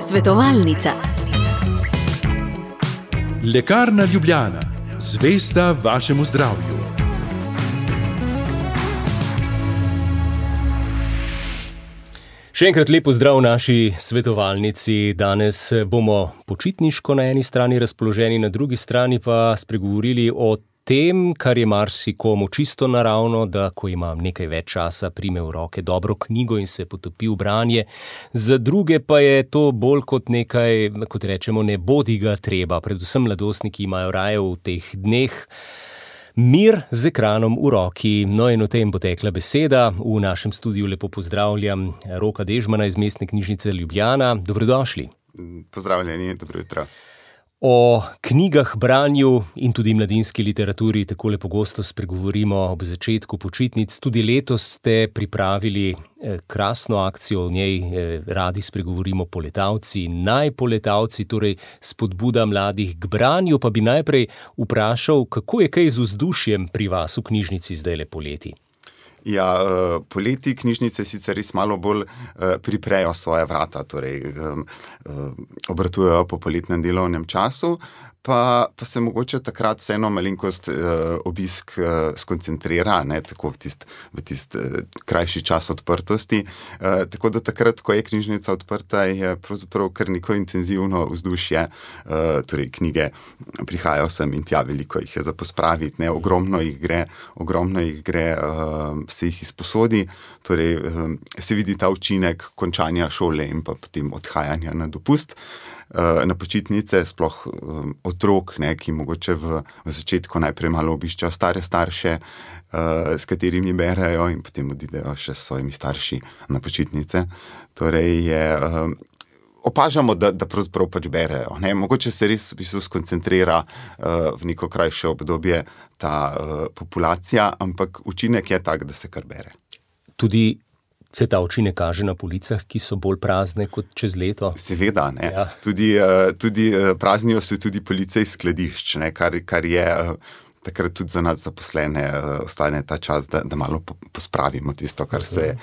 Svetovalnica. Lekarna Ljubljana, zvesta vašemu zdravju. Še enkrat lep pozdrav v naši svetovalnici. Danes bomo počitniško na eni strani razpoloženi, na drugi strani pa spregovorili o tem, kar je marsikomu čisto naravno, da ko ima nekaj več časa, prime v roke dobro knjigo in se potopi v branje. Za druge pa je to bolj kot nekaj, kot rečemo, ne bodi ga treba. Predvsem mladostniki imajo raje v teh dneh mir z ekranom v roki. No in o tem bo tekla beseda. V našem studiu lepo pozdravljam Roka Dežmana iz Mestne knjižnice Ljubljana. Dobrodošli. Pozdravljeni, dobro jutro. O knjigah, branju in tudi mladinski literaturi takole pogosto spregovorimo ob začetku počitnic. Tudi letos ste pripravili krasno akcijo, o njej radi spregovorimo poletavci, najpoletavci, torej spodbuda mladih k branju. Pa bi najprej vprašal, kako je kaj z vzdušjem pri vas v knjižnici zdajle poleti? Ja, poleti knjižnice sicer res malo bolj priprejo svoje vrata, torej obratujejo po poletnem delovnem času, pa se mogoče takrat vseeno malenkost obisk skoncentrira, ne, tako v tist krajši čas odprtosti. Tako da takrat, ko je knjižnica odprta, je pravzaprav kar neko intenzivno vzdušje, torej knjige prihajajo sem in tja, veliko jih je za pospraviti, ne, ogromno jih gre, se jih izposodi, torej se vidi ta učinek končanja šole in pa potem odhajanja na dopust. Na počitnice, sploh otrok, ne, ki mogoče v začetku najprej malo obiščajo stare starše, s katerimi berejo in potem odidejo še s svojimi starši na počitnice. Torej opažamo, da pravzaprav pač berejo. Ne. Mogoče se res v bistvu skoncentrira v neko krajše obdobje ta populacija, ampak učinek je tak, da se kar bere. Tudi se ta učinek kaže na policah, ki so bolj prazne kot čez leto? Seveda, ne. Ja. Tudi praznijo se tudi police iz skladišč, ne, kar je takrat tudi za nas zaposlene ostane ta čas, da malo pospravimo tisto, kar se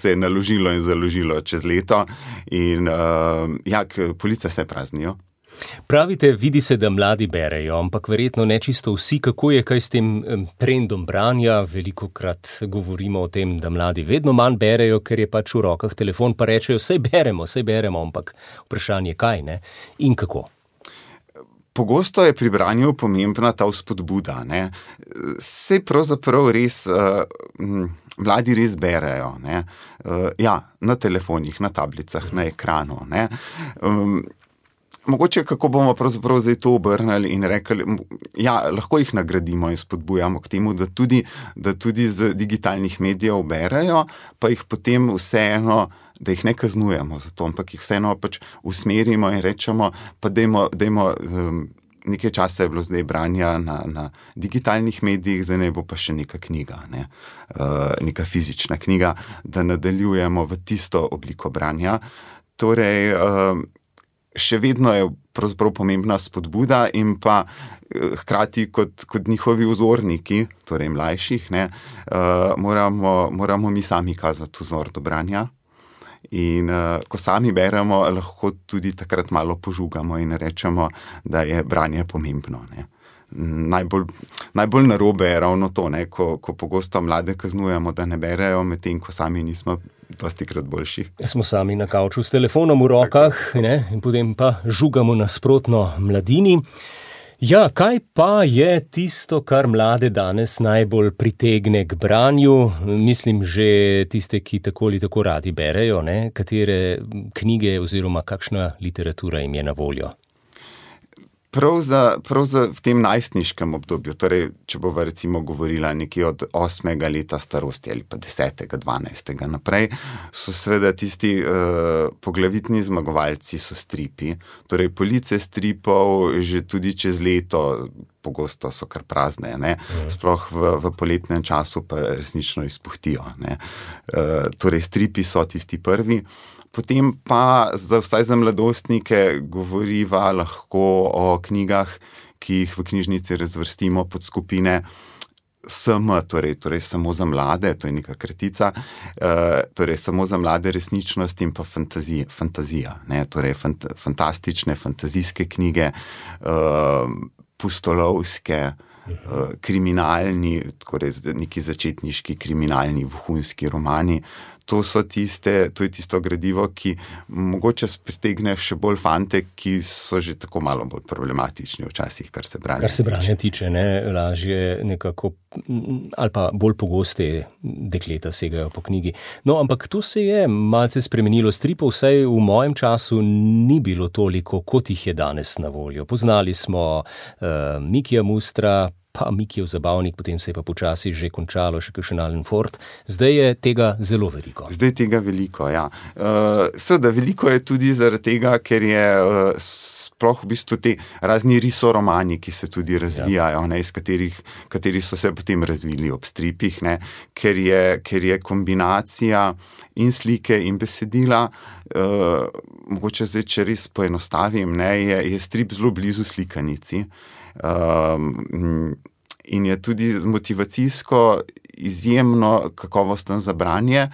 je naložilo in založilo čez leto. In police se praznijo. Pravite, vidi se, da mladi berejo, ampak verjetno ne čisto vsi. Kako je kaj s tem trendom branja? Velikokrat govorimo o tem, da mladi vedno manj berejo, ker je pač v rokah telefon, pa rečejo, saj beremo, ampak vprašanje kaj, ne? In kako? Pogosto je pri branju pomembna ta vzpodbuda, ne. Saj pravzaprav res mladi res berejo, ne. Na telefonih, na tablicah, na ekranu, ne. Mogoče kako bomo pravzaprav zdaj to obrnili in rekli, lahko jih nagradimo in spodbujamo k temu, da tudi z digitalnih medijev berejo, pa jih potem vseeno, da jih ne kaznujemo za to, ampak jih vseeno pač usmerimo in rečemo, pa dajmo nekaj časa je bilo zdaj branja na digitalnih medijih, zdaj ne bo pa še neka knjiga, ne, neka fizična knjiga, da nadaljujemo v tisto obliko branja. Torej, še vedno je pravzaprav pomembna spodbuda in pa hkrati kot njihovi vzorniki, torej mlajših, ne, moramo mi sami kazati vzor do branja. In ko sami beremo, lahko tudi takrat malo požugamo in rečemo, da je branje pomembno, ne. Najbolj narobe je ravno to, ne, ko pogosto mlade kaznujemo, da ne berejo, medtem ko sami nismo dostikrat boljši. Smo sami na kavču s telefonom v rokah, ne, in potem pa žugamo nasprotno mladini. Ja, kaj pa je tisto, kar mlade danes najbolj pritegne k branju? Mislim, že tiste, ki tako ali tako radi berejo, ne, katere knjige oziroma kakšna literatura jim je na voljo? Prav za v tem najstniškem obdobju, torej, če bova recimo govorila nekje od 8. leta starosti ali pa 10., 12. naprej, so seveda tisti poglavitni zmagovalci so stripi. Torej, police stripov že tudi čez leto pogosto so kar prazne, ne. Sploh v poletnem času pa resnično izpuhtijo, ne. Torej, stripi so tisti prvi. Potem pa vsaj za mladostnike govoriva lahko o knjigah, ki jih v knjižnici razvrstimo pod skupine SM, torej samo za mlade, to je neka kratica, torej samo za mlade resničnost in pa fantazija, ne, torej fantastične, fantazijske knjige, pustolovske, kriminalni, torej neki začetniški kriminalni vohunski romani. To je tisto gradivo, ki mogoče pritegne še bolj fante, ki so že tako malo bolj problematični včasih, kar se branja tiče, ne, lažje nekako, ali pa bolj pogoste dekleta segajo po knjigi. No, ampak to se je malce spremenilo. Stripov vsaj v mojem času ni bilo toliko, kot jih je danes na voljo. Poznali smo Mikija Mustra, pa Mikijev zabavnik, potem se je pa počasi že končalo še kakšen Alan Ford. Zdaj je tega zelo veliko. Ja. Seveda, veliko je tudi zaradi tega, ker je sploh v bistvu te razni risoromani, ki se tudi razvijajo, ne, iz kateri so se potem razvili ob stripih, ne, ker je kombinacija in slike in besedila, mogoče zdaj, če res poenostavim, ne, je strip zelo blizu slikanici. In je tudi motivacijsko izjemno kakovosten za branje,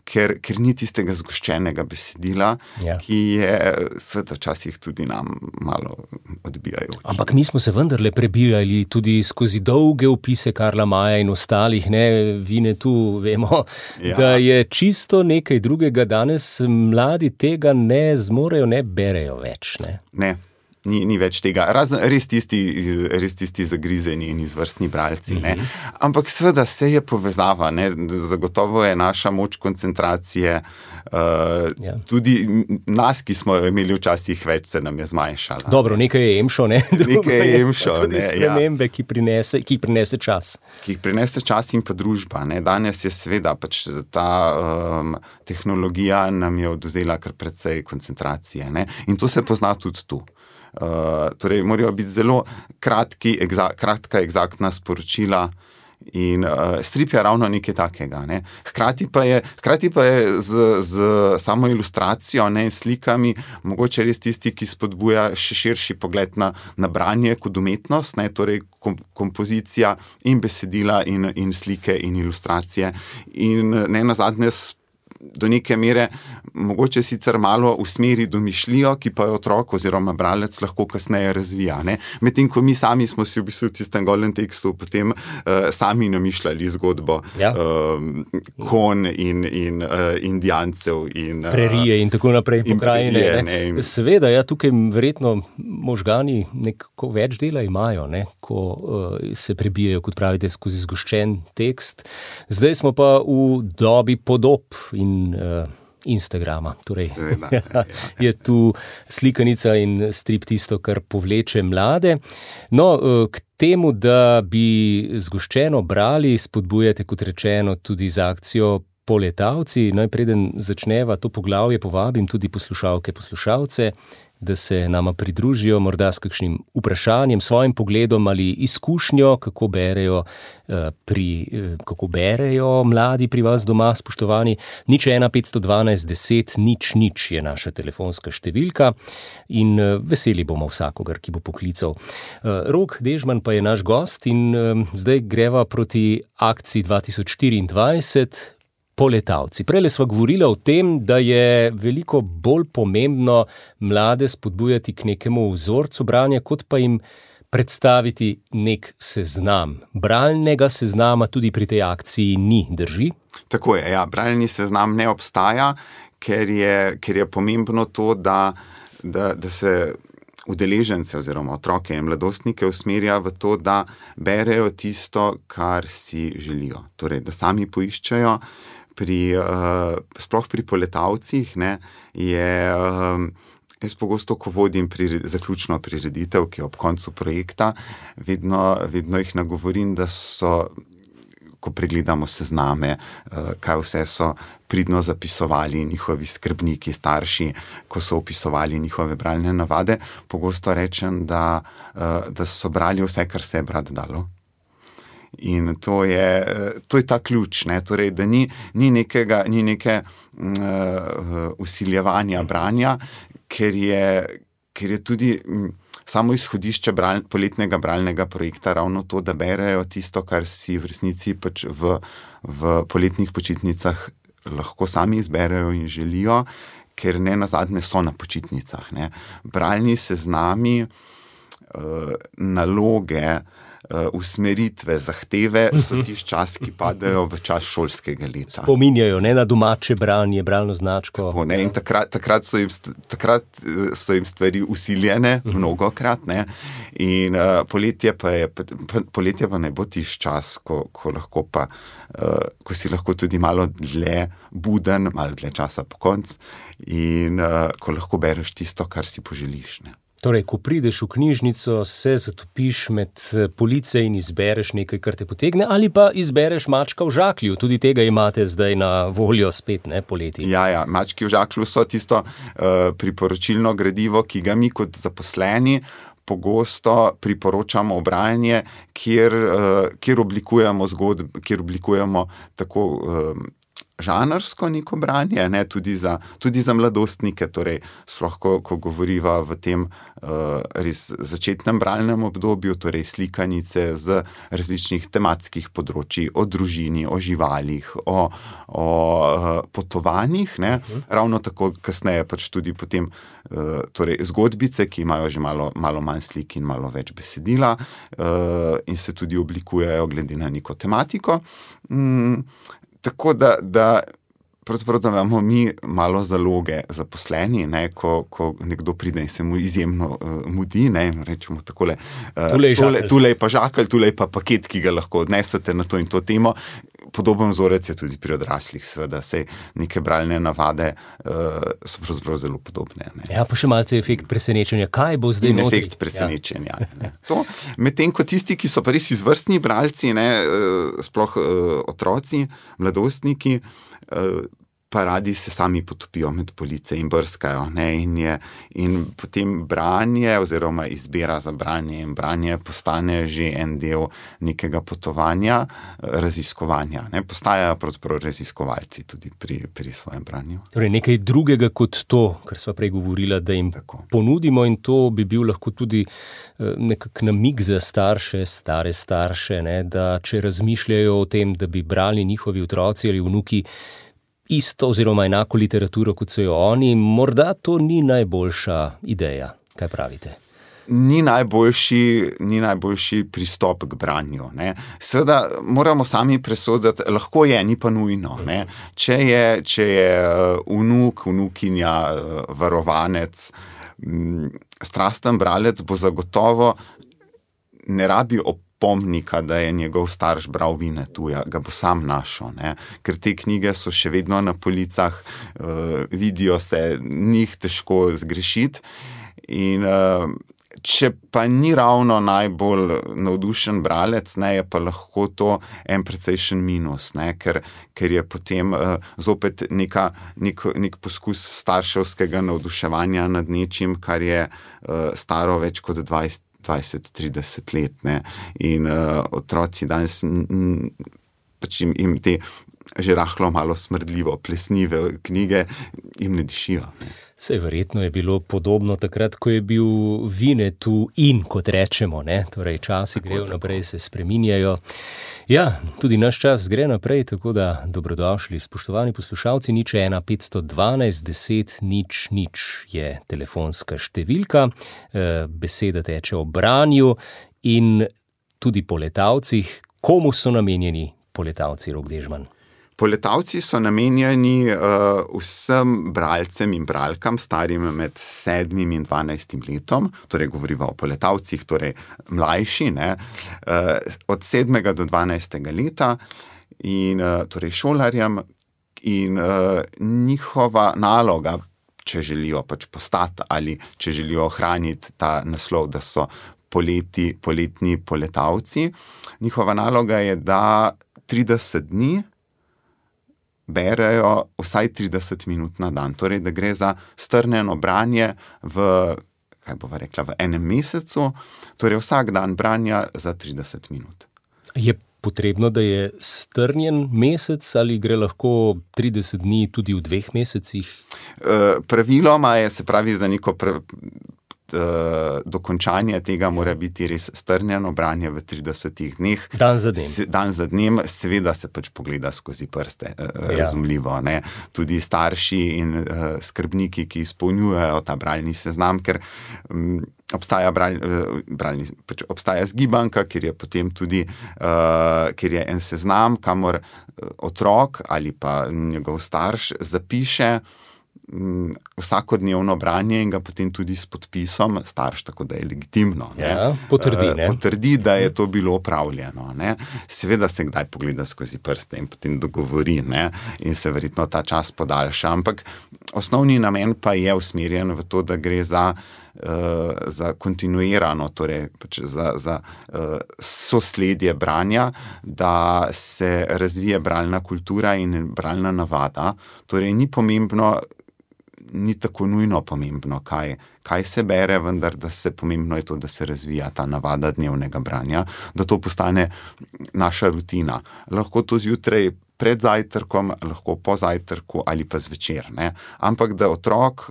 ker ni tistega zgoščenega besedila, ki je sveta včasih tudi nam malo odbijajoč. Ampak mi smo se vendarle prebirali tudi skozi dolge opise Karla Maja in ostalih, ne, Vinetu, vemo, da je čisto nekaj drugega. Danes mladi tega ne zmorejo, ne berejo več, ne? Ne. Ni več tega, res tisti zagrizeni in izvrstni bralci. Ne? Ampak seveda se je povezava, ne? Zagotovo je naša moč koncentracije, tudi nas, ki smo imeli včasih več, se nam je zmanjšala. Dobro, nekaj je emšo, ne? Nekaj je emšo, tudi spremembe, ki prinese čas. Ki jih prinese čas in pa družba. Ne? Danes je seveda pač ta tehnologija nam je odvzela kar precej koncentracije. Ne? In to se pozna tudi tu. Torej, morajo biti zelo kratka, eksaktna sporočila in strip je ravno nekaj takega. Ne. Hkrati pa je z samo ilustracijo, ne, slikami, mogoče res tisti, ki spodbuja še širši pogled na branje kot umetnost, ne, torej kompozicija in besedila in slike in ilustracije. In ne nazadnje do neke mere mogoče sicer malo usmeri domišljijo, ki pa jo otrok oziroma bralec lahko kasneje razvija. Ne? Medtem, ko mi sami smo si v bistvu v tistem golem tekstu potem sami namišljali zgodbo kon in indijancev in prerije in tako naprej, pokrajine. Seveda, tukaj verjetno možgani nekako več dela imajo, ne? Ko se prebijajo, kot pravite, skozi zgoščen tekst. Zdaj smo pa v dobi podob in Instagrama. Torej, je tu slikanica in strip tisto, kar povleče mlade. No, k temu, da bi zgoščeno brali, spodbujate, kot rečeno, tudi z akcijo Poletavci. Najpreden začneva to poglavje, povabim tudi poslušalke, poslušalce, da se nama pridružijo morda s kakšnim vprašanjem, svojim pogledom ali izkušnjo, kako berejo mladi pri vas doma, spoštovani. 01 512 10 0 je naša telefonska številka in veseli bomo vsakogar, ki bo poklical. Rok Dežman pa je naš gost in zdaj greva proti akciji 2024. Poletavci. Prejle sva govorila o tem, da je veliko bolj pomembno mlade spodbujati k nekemu vzorcu branja, kot pa jim predstaviti nek seznam. Bralnega seznama tudi pri tej akciji ni, drži? Tako je, bralni seznam ne obstaja, ker je pomembno to, da se udeležence oziroma otroke in mladostnike usmerja v to, da berejo tisto, kar si želijo. Torej, da sami poiščejo. Sploh pri Poletavcih, ne, jaz pogosto, ko vodim zaključno prireditev, ki je ob koncu projekta, vedno jih nagovorim, da so, ko pregledamo sezname, kaj vse so pridno zapisovali njihovi skrbniki, starši, ko so opisovali njihove bralne navade, pogosto rečem, da so brali vse, kar se je brati dalo. In to je ta ključ, ne? Torej, da ni neke vsiljevanja branja, ker je tudi samo izhodišče poletnega bralnega projekta ravno to, da berejo tisto, kar si v resnici pač v poletnih počitnicah lahko sami izberejo in želijo, ker ne nazadnje so na počitnicah. Ne. Bralni seznami, naloge, usmeritve, zahteve so tisti čas, ki padejo v čas šolskega leta. Spominjajo na domače branje, bralno značko. Tako, ne, in takrat so jim stvari usiljene, mnogokrat. Ne, in poletje pa ne bo tisti čas, ko si lahko tudi malo dlje buden, malo dlje časa po koncu in ko lahko bereš tisto, kar si poželiš. Ne. Torej, ko prideš v knjižnico, se zatopiš med police in izbereš nekaj, kar te potegne, ali pa izbereš Mačka v žaklju. Tudi tega imate zdaj na voljo spet, ne, poleti. Ja, Mački v žaklju so tisto priporočilno gradivo, ki ga mi kot zaposleni pogosto priporočamo branje, kjer oblikujemo tako žanrsko neko branje, ne, tudi za mladostnike, torej sploh, ko govoriva v tem res začetnem bralnem obdobju, torej slikanice z različnih tematskih področji, o družini, o živalih, o potovanjih, ne, ravno tako kasneje pač tudi potem torej zgodbice, ki imajo že malo manj slik in malo več besedila in se tudi oblikujejo glede na neko tematiko. Tako da pravzaprav da imamo mi malo zaloge zaposleni, ne, ko nekdo pride in se mu izjemno mudi, ne, rečemo takole, tule je pa žakelj, tule je pa paket, ki ga lahko odnesete na to in to temo. Podoben vzorec je tudi pri odraslih, seveda, sej neke bralne navade so pravzaprav zelo podobne. Ne. Ja, pa še malce efekt presenečenja, kaj bo zdaj notri? Efekt presenečenja. Ja. Medtem ko tisti, ki so pa res izvrstni bralci, ne, sploh otroci, mladostniki, pa radi se sami potopijo med police in brskajo. Ne, in potem branje oziroma izbira za branje in branje postane že en del nekega potovanja, raziskovanja. Ne, postajajo pravzaprav raziskovalci tudi pri svojem branju. Torej nekaj drugega kot to, kar sva prej govorila, da jim ponudimo, in to bi bil lahko tudi nekak namig za starše, stare starše, ne, da če razmišljajo o tem, da bi brali njihovi otroci ali vnuki isto oziroma enako literaturo, kot so jo oni, morda to ni najboljša ideja. Kaj pravite? Ni najboljši pristop k branju. Ne. Seveda moramo sami presoditi, lahko je, ni pa nujno. Ne. Če je vnuk, vnukinja, varovanec, strasten bralec, bo zagotovo ne rabi pomnika, da je njegov starš bral Vinetuja, ga bo sam našel, ne? Ker te knjige so še vedno na policah, vidijo se, njih težko zgrešiti in če pa ni ravno najbolj navdušen bralec, ne, je pa lahko to en precejšen minus, ne, ker je potem zopet nek poskus starševskega navduševanja nad nečim, kar je staro več kot 20-30 let, ne, in otroci danes pač jim te že rahlo malo smrdljivo plesnive knjige jim ne dišijo. Ne. Sej verjetno je bilo podobno takrat, ko je bil Vinetu in, kot rečemo, ne, torej časi grejo naprej, se spreminjajo. Ja, tudi naš čas gre naprej, tako da dobrodošli, spoštovani poslušalci, 01 512 10 0 je telefonska številka, beseda teče o branju in tudi poletavcih. Komu so namenjeni poletavci, Rok Dežman? Poletavci so namenjeni vsem bralcem in bralkam, starim med 7 in 12 letom, torej govoriva o poletavcih, torej mlajši, ne, od 7. do 12. leta in torej šolarjem, in njihova naloga, če želijo pač postati ali če želijo ohraniti ta naslov, da so poletni poletavci, njihova naloga je, da 30 dni berejo vsaj 30 minut na dan. Torej, da gre za strnjeno branje v enem mesecu, torej vsak dan branja za 30 minut. Je potrebno, da je strnjen mesec ali gre lahko 30 dni tudi v 2 mesecih? Praviloma je, se pravi, za neko dokončanje tega mora biti res strnjeno branje v 30 dneh. Dan za dnem. Dan za dnem, seveda se pač pogleda skozi prste, razumljivo. Ne? Tudi starši in skrbniki, ki izpolnjujejo ta bralni seznam, ker obstaja obstaja zgibanka, kjer je potem tudi kjer je en seznam, kamor otrok ali pa njegov starš zapiše vsakodnevno branje in ga potem tudi s podpisom starš, tako da je legitimno. Potrdi, da je to bilo opravljeno. Ne? Seveda se kdaj pogleda skozi prste in potem dogovori, ne? In se verjetno ta čas podaljša, ampak osnovni namen pa je usmerjen v to, da gre za kontinuirano, torej za sosledje branja, da se razvije bralna kultura in bralna navada. Torej ni tako nujno pomembno, kaj se bere, vendar da se pomembno je to, da se razvija ta navada dnevnega branja, da to postane naša rutina. Lahko to zjutraj pred zajtrkom, lahko po zajtrku ali pa zvečer, ne? Ampak da otrok,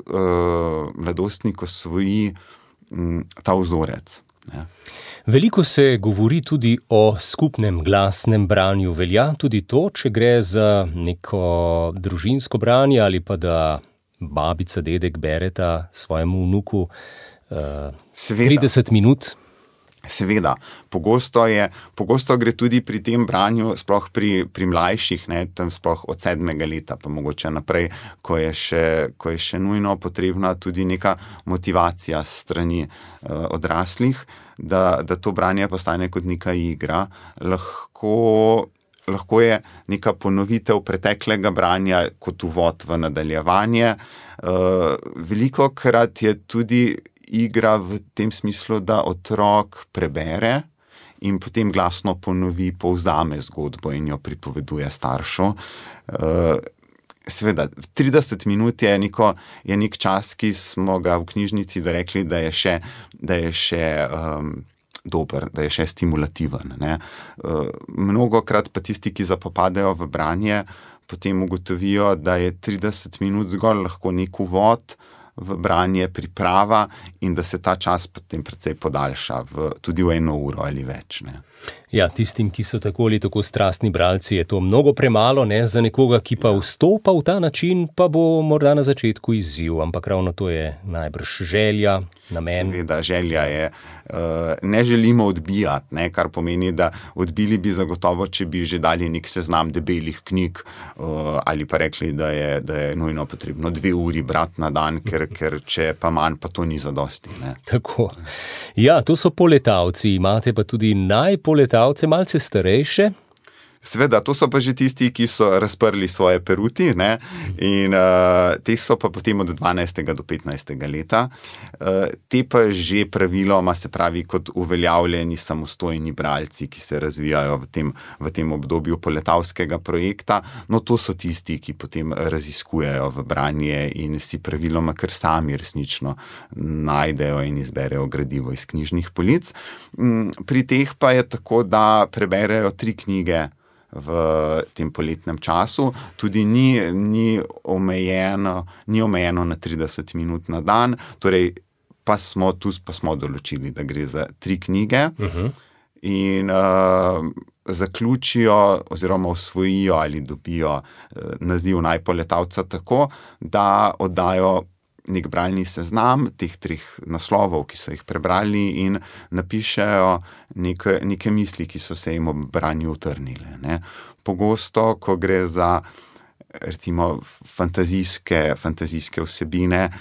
mladostnik osvoji ta vzorec. Ne? Veliko se govori tudi o skupnem glasnem branju. Velja tudi to, če gre za neko družinsko branje ali pa da babica, dedek bereta svojemu vnuku 30 minut? Seveda. Pogosto gre tudi pri tem branju, sploh pri mlajših, ne, tam sploh od 7. leta, pa mogoče naprej, ko je še nujno potrebna tudi neka motivacija s strani odraslih, da to branje postane kot neka igra. Lahko je neka ponovitev preteklega branja kot uvod v nadaljevanje. Velikokrat je tudi igra v tem smislu, da otrok prebere in potem glasno ponovi, povzame zgodbo in jo pripoveduje staršu. Seveda, 30 minut je nek čas, ki smo ga v knjižnici dorekli, da je še dober, da je še stimulativen. Ne? Mnogokrat pa tisti, ki zapopadejo v branje, potem ugotovijo, da je 30 minut zgolj lahko nek uvod v branje, priprava in da se ta čas potem precej podaljša tudi v 1 uro ali več. Ne? Ja, tistim, ki so tako ali tako strastni bralci, je to mnogo premalo, ne? Za nekoga, ki pa vstopa v ta način, pa bo morda na začetku izziv, ampak ravno to je najbrž želja, namen. Seveda, želja je, ne želimo odbijati, ne? Kar pomeni, da odbili bi zagotovo, če bi že dali nek seznam debelih knjig ali pa rekli, da je nujno potrebno 2 uri brati na dan, ker če pa manj, pa to ni zadosti. Ne? Tako. Ja, to so poletavci, imate pa tudi najpoletavce, malce starejše. Seveda, to so pa že tisti, ki so razprli svoje peruti, ne? In te so pa potem od 12. do 15. leta. Te pa že praviloma, se pravi, kot uveljavljeni samostojni bralci, ki se razvijajo v tem obdobju poletavskega projekta. No, to so tisti, ki potem raziskujejo v branje in si praviloma kar sami resnično najdejo in izberejo gradivo iz knjižnih polic. Pri teh pa je tako, da preberejo 3 knjige v tem poletnem času, tudi ni omejeno na 30 minut na dan, torej pa smo določili, da gre za 3 knjige in zaključijo oziroma osvojijo ali dobijo naziv najpoletavca tako, da oddajo nek bralni seznam teh 3 naslovov, ki so jih prebrali in napišejo neke misli, ki so se jim ob branju utrnile. Ne. Pogosto, ko gre za recimo fantazijske vsebine,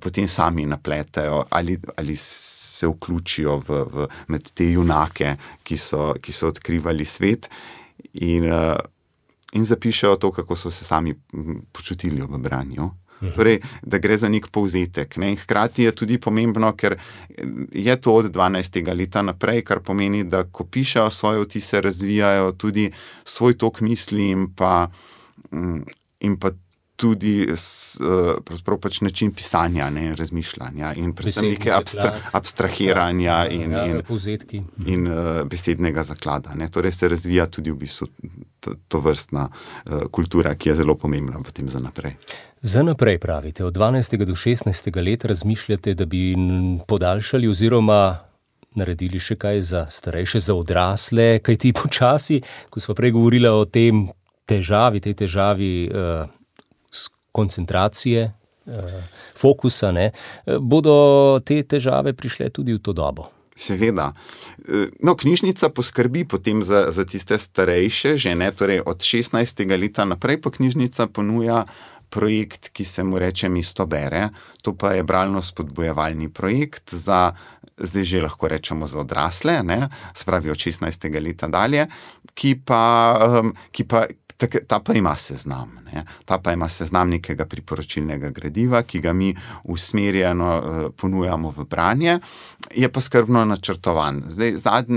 potem sami napletejo ali se vključijo med te junake, ki so odkrivali svet in zapišejo to, kako so se sami počutili ob branju. Torej, da gre za nek povzetek. Ne? Hkrati je tudi pomembno, ker je to od 12. leta naprej, kar pomeni, da ko pišejo svoje vtise, razvijajo tudi svoj tok misli in pa tudi pravzaprav pač način pisanja, ne, in razmišljanja in predvsem neke abstrahiranja in besednega zaklada. Ne. Torej se razvija tudi v bistvu to vrstna kultura, ki je zelo pomembna potem za naprej. Za naprej pravite, od 12. do 16. leta razmišljate, da bi podaljšali oziroma naredili še kaj za starejše, za odrasle, kaj ti počasi, ko smo prej govorili o tej težavi koncentracije, fokusa, ne, bodo te težave prišle tudi v to dobo. Seveda. No, knjižnica poskrbi potem za tiste starejše, že ne, torej od 16. leta naprej pa knjižnica ponuja projekt, ki se mu reče Mesto bere. To pa je bralno spodbujevalni projekt zdaj že lahko rečemo za odrasle, ne, se pravi od 16. leta dalje, ta pa ima seznam. Ne. Ta pa ima seznam nekega priporočilnega gradiva, ki ga mi usmerjeno ponujamo v branje, je pa skrbno načrtovan. Zdaj,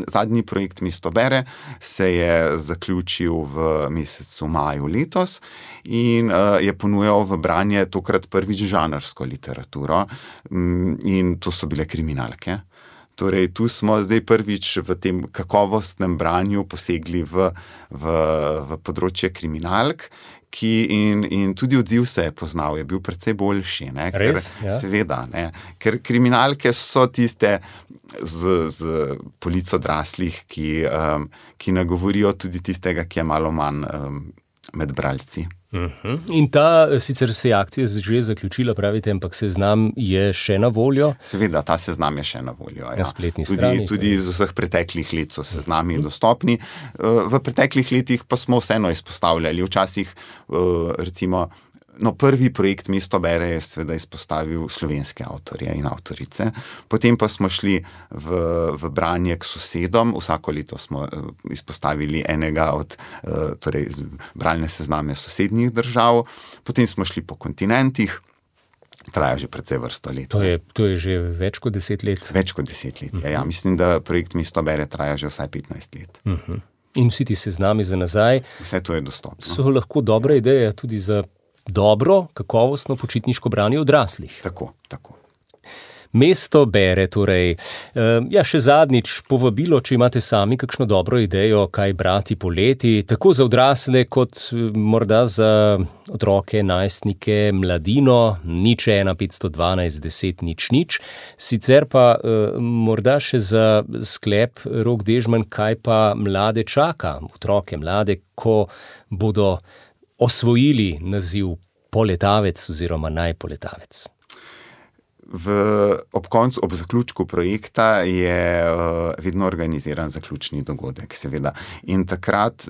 zadnji projekt Mesto bere se je zaključil v mesecu maju letos in je ponujal v branje tokrat prvič žanrsko literaturo in to so bile kriminalke. Torej, tu smo zdaj prvič v tem kakovostnem branju posegli v področje kriminalk, in tudi odziv se je poznal, je bil precej boljši. Ne? Res? Ja. Seveda, ne? Ker kriminalke so tiste z polic odraslih, ki nagovorijo tudi tistega, ki je malo manj med bralci. In ta, sicer se je akcija že zaključila, pravite, ampak seznam je še na voljo? Seveda, ta seznam je še na voljo. Na spletni strani. Tudi iz vseh preteklih let so seznami dostopni. V preteklih letih pa smo vseeno izpostavljali. Včasih, recimo, prvi projekt Mesto bere je seveda izpostavil slovenske avtorje in avtorice. Potem pa smo šli v branje k sosedom. Vsako leto smo izpostavili enega od bralne sezname sosednjih držav. Potem smo šli po kontinentih. Traja že precej vrsto let. To je že več kot 10 let? Več kot 10 let, ja. Mislim, da projekt Mesto bere traja že vsaj 15 let. In vsi ti seznami za nazaj? Vse to je dostopno. So lahko dobra ideja tudi za dobro, kakovostno počitniško branje odraslih. Tako. Mesto bere, torej. Še zadnjič povabilo, če imate sami kakšno dobro idejo, kaj brati poleti, tako za odrasle, kot morda za otroke, najstnike, mladino, 01512 10 00. Sicer pa morda še za sklep, Rok Dežman, kaj pa mlade čaka, otroke, mlade, ko bodo osvojili naziv poletavec oziroma najpoletavec. Ob zaključku projekta je vedno organiziran zaključni dogodek, seveda. In takrat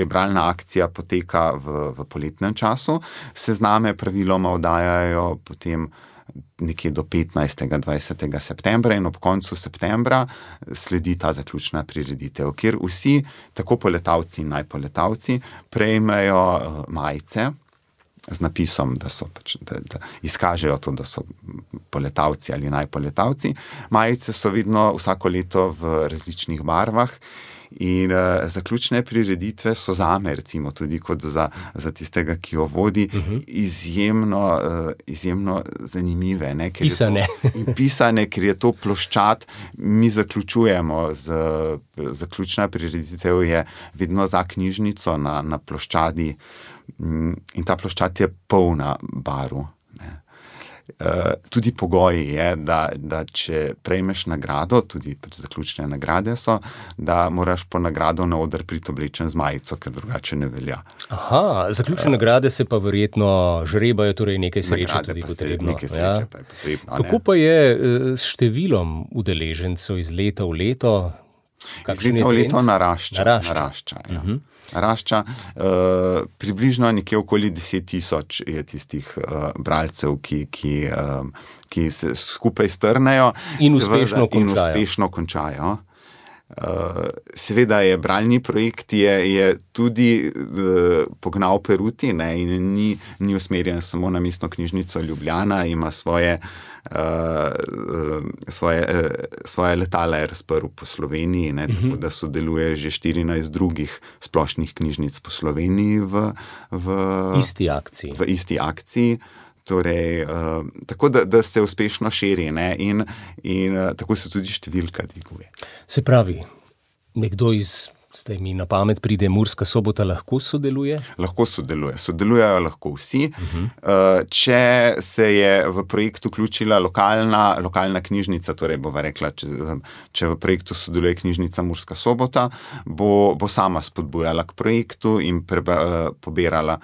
bralna akcija poteka v poletnem času. Sezname praviloma oddajajo potem nekje do 15. 20. septembra in ob koncu septembra sledi ta zaključna prireditev, kjer vsi, tako poletavci in najpoletavci, prejmejo majice z napisom, da izkažejo to, da so poletavci ali najpoletavci. Majice so vedno vsako leto v različnih barvah in zaključne prireditve so zame, recimo tudi kot za tistega, ki jo vodi, izjemno zanimive. Ne? Pisane, ker je to ploščad, mi zaključujemo zaključna prireditev je vedno za knjižnico na ploščadi in ta ploščad je polna barv. Tudi pogoj je, da če prejmeš nagrado, tudi zaključne nagrade so, da moraš po nagrado na oder priti oblečen z majico, ker drugače ne velja. Aha, zaključne nagrade se pa verjetno žrebajo, torej nekaj sreče tudi potrebno. Nekaj sreče pa je potrebno. Kako pa je s številom udeležencev iz leta v leto? Iz leta v leto narašča. Narašča. Približno nekje okoli 10,000 je tistih bralcev, ki se skupaj strnejo in uspešno končajo. Seveda je bralni projekt je tudi pognal peruti, ne, in ni usmerjen samo na Mestno knjižnico Ljubljana, ima svoje letala je razprl po Sloveniji, ne, tako da sodeluje že 14 drugih splošnih knjižnic po Sloveniji v isti akciji. Torej, tako da se uspešno širi, ne, in tako se tudi številka dviguje. Se pravi, nekdo zdaj mi na pamet pride, Murska Sobota lahko sodeluje? Lahko sodelujejo lahko vsi. Če se je v projekt vključila lokalna knjižnica, torej bova rekla, če v projektu sodeluje knjižnica Murska Sobota, bo sama spodbujala k projektu in pobirala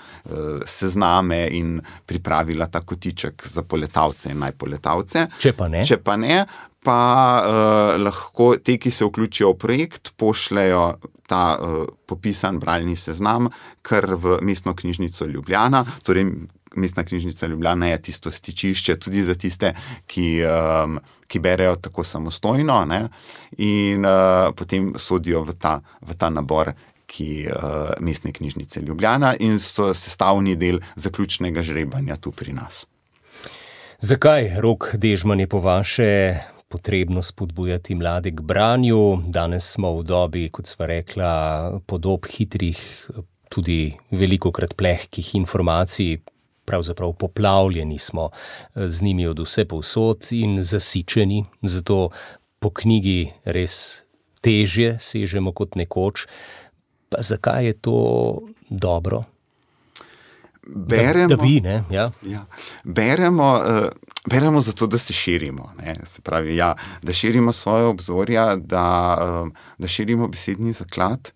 sezname in pripravila ta kotiček za poletavce in najpoletavce. Če pa ne, lahko te, ki se vključijo v projekt, pošljajo ta popisan bralni seznam kar v Mestno knjižnico Ljubljana. Torej, Mestna knjižnica Ljubljana je tisto stičišče tudi za tiste, ki berejo tako samostojno, ne, in potem sodijo v ta nabor Mestne knjižnice Ljubljana in so sestavni del zaključnega žrebanja tu pri nas. Zakaj, Rok Dežman, je po vaše potrebno spodbujati mlade k branju? Danes smo v dobi, kot sva rekla, podob hitrih, tudi velikokrat plehkih informacij, pravzaprav poplavljeni smo z njimi od vse povsod in zasičeni, zato po knjigi res težje sežemo kot nekoč. Pa zakaj je to dobro? Beremo, da bi, ne? Ja. Ja, beremo zato, da se širimo, ne? Se pravi, da širimo svoje obzorja, da širimo besedni zaklad,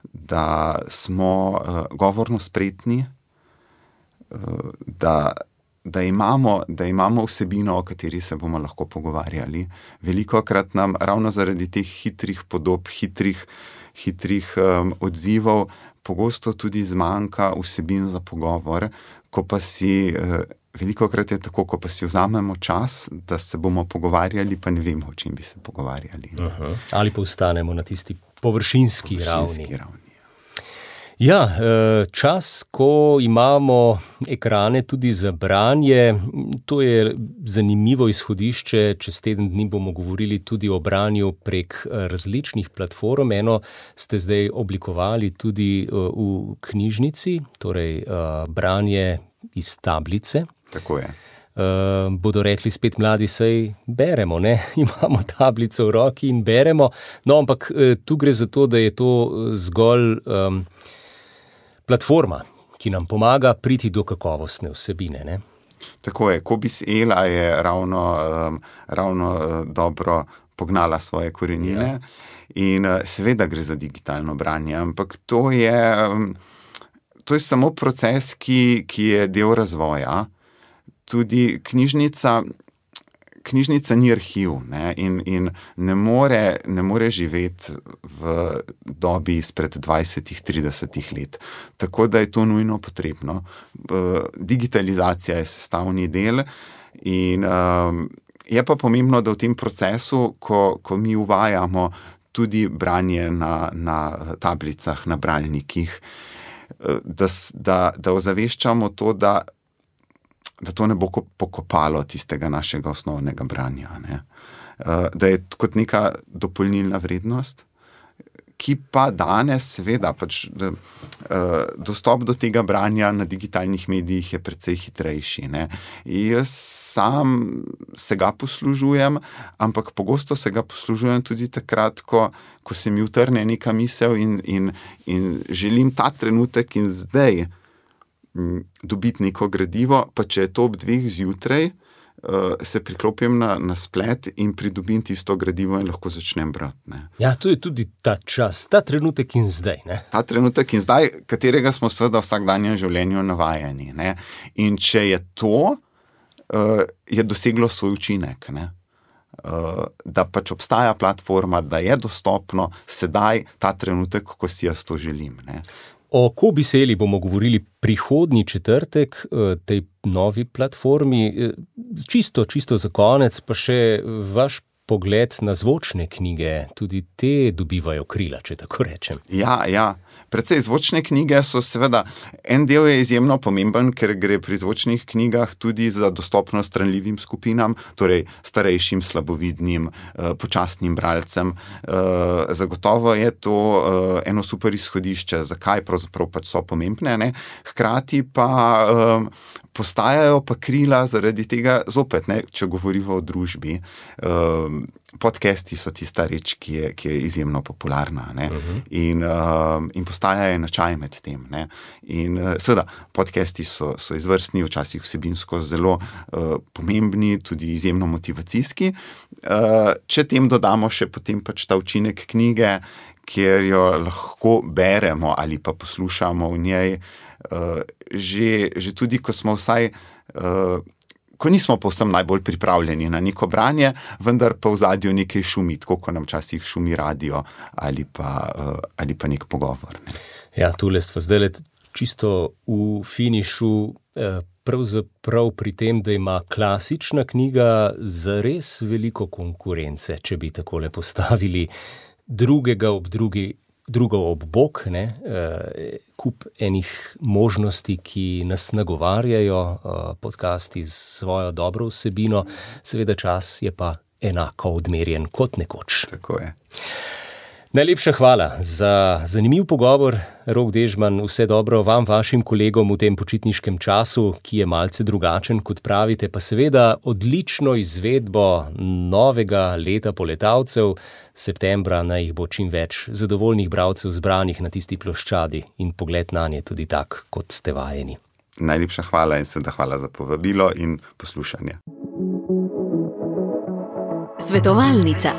da smo govorno spretni, da imamo vsebino, o kateri se bomo lahko pogovarjali. Velikokrat nam ravno zaradi teh hitrih podob, hitrih odzivov pogosto tudi zmanjka vsebin za pogovor, velikokrat je tako, ko pa si vzamemo čas, da se bomo pogovarjali, pa ne vemo, o čem bi se pogovarjali. Ali pa ostanemo na tisti površinski ravni. Ja, čas, ko imamo ekrane tudi za branje, to je zanimivo izhodišče. Čez teden dni bomo govorili tudi o branju prek različnih platform. Eno ste zdaj oblikovali tudi v knjižnici, torej branje iz tablice. Tako je. Bodo rekli spet mladi, saj beremo, ne? Imamo tablico v roki in beremo. No, ampak tu gre za to, da je to zgolj platforma, ki nam pomaga priti do kakovostne vsebine, ne? Tako je. Kobis Ela je ravno dobro pognala svoje korenine. Ja. In seveda gre za digitalno branje, ampak to je samo proces, ki je del razvoja. Tudi knjižnica ni arhiv, ne, in ne more živeti v dobi izpred 20-30 let. Tako da je to nujno potrebno. Digitalizacija je sestavni del in je pa pomembno, da v tem procesu, ko mi uvajamo tudi branje na tablicah, na bralnikih, da ozaveščamo to, da to ne bo pokopalo tistega našega osnovnega branja, ne? Da je kot neka dopolnilna vrednost, ki pa danes seveda dostop do tega branja na digitalnih medijih je precej hitrejši, ne? Jaz sam se ga poslužujem, ampak pogosto se ga poslužujem tudi takrat, ko se mi utrne neka misel in želim ta trenutek in zdaj dobiti neko gradivo, pa če je to ob 2 zjutraj, se priklopim na splet in pridobim tisto gradivo in lahko začnem brati, ne. Ja, to je tudi ta čas, ta trenutek in zdaj, ne. Ta trenutek in zdaj, katerega smo seveda v vsakdanjem življenju navajeni, ne. In če je to, je doseglo svoj učinek, ne. Da pač obstaja platforma, da je dostopno sedaj ta trenutek, ko si jaz to želim, ne. O Kobis Eli bomo govorili prihodnji četrtek, tej novi platformi. Čisto za konec pa še vaš pogled na zvočne knjige, tudi te dobivajo krila, če tako rečem. Ja. Predvsej zvočne knjige so seveda, en del je izjemno pomemben, ker gre pri zvočnih knjigah tudi za dostopnost ranljivim skupinam, torej starejšim, slabovidnim, počasnim bralcem. Zagotovo je to eno super izhodišče, zakaj pravzaprav pač so pomembne, ne? Hkrati pa postajajo pa krila zaradi tega zopet, ne, če govorimo o družbi. Podcasti so tista reč, ki je izjemno popularna, ne, in postajajo enačaj med tem, ne. In seveda, podcasti so izvrstni, včasih vsebinsko zelo pomembni, tudi izjemno motivacijski. Če tem dodamo še potem pač ta učinek knjige, kjer jo lahko beremo ali pa poslušamo v njej, že tudi, ko smo vsaj, ko nismo povsem najbolj pripravljeni na neko branje, vendar pa v zadju nekaj šumi, tako ko nam včasih šumi radio ali pa nek pogovor. Ne. Ja, tule stva zdajle čisto v finišu, pravzaprav pri tem, da ima klasična knjiga zares veliko konkurence, če bi takole postavili drugo ob bok, ne, kup enih možnosti, ki nas nagovarjajo, podcasti z svojo dobro vsebino, seveda čas je pa enako odmerjen kot nekoč. Tako je. Najlepša hvala za zanimiv pogovor, Rok Dežman, vse dobro vam, vašim kolegom v tem počitniškem času, ki je malce drugačen, kot pravite, pa seveda odlično izvedbo novega leta poletavcev. Septembra naj jih bo čim več zadovoljnih bralcev zbranih na tisti ploščadi in pogled nanje tudi tak, kot ste vajeni. Najlepša hvala in seveda hvala za povabilo in poslušanje. Svetovalnica.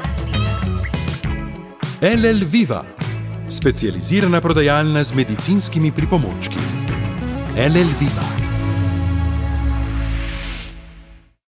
LL Viva, specializirana prodajalna z medicinskimi pripomočki. LL Viva.